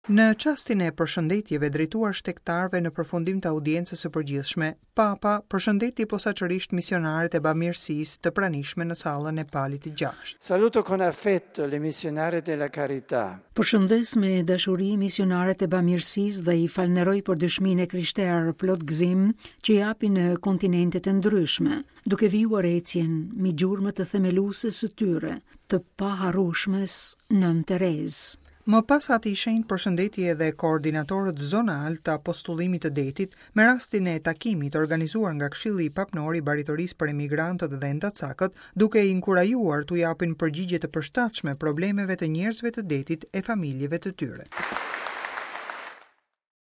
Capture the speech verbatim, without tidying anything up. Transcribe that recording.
Në çastin e përshëndetjeve drejtuar shtegtarëve në përfundim të audiencës së përgjithshme, Papa përshëndeti posaçërisht misionarët e bamirësisë të pranishme në sallën e Palit të Gjashtë. Saluto con affetto le missionarie della carità. Përshëndes me dashuri misionarët e bamirësisë dhe i falënderoj për dëshminë e krishterë plot gëzim që japin në kontinentet e ndryshme, duke vijuar ecjen mbi gjurmët e themelueses së tyre, të paharrueshmes Nënë Terezë. Më pas Ati i Shenjtë përshëndeti edhe koordinatorët zonal të apostullimit të detit me rastin e takimit organizuar nga Këshilli Papnor i Baritorisë për Emigrantët dhe Endacakët, duke i inkurajuar t'u japin përgjigje të përshtatshme problemeve të njerëzve të detit e familjeve të tyre.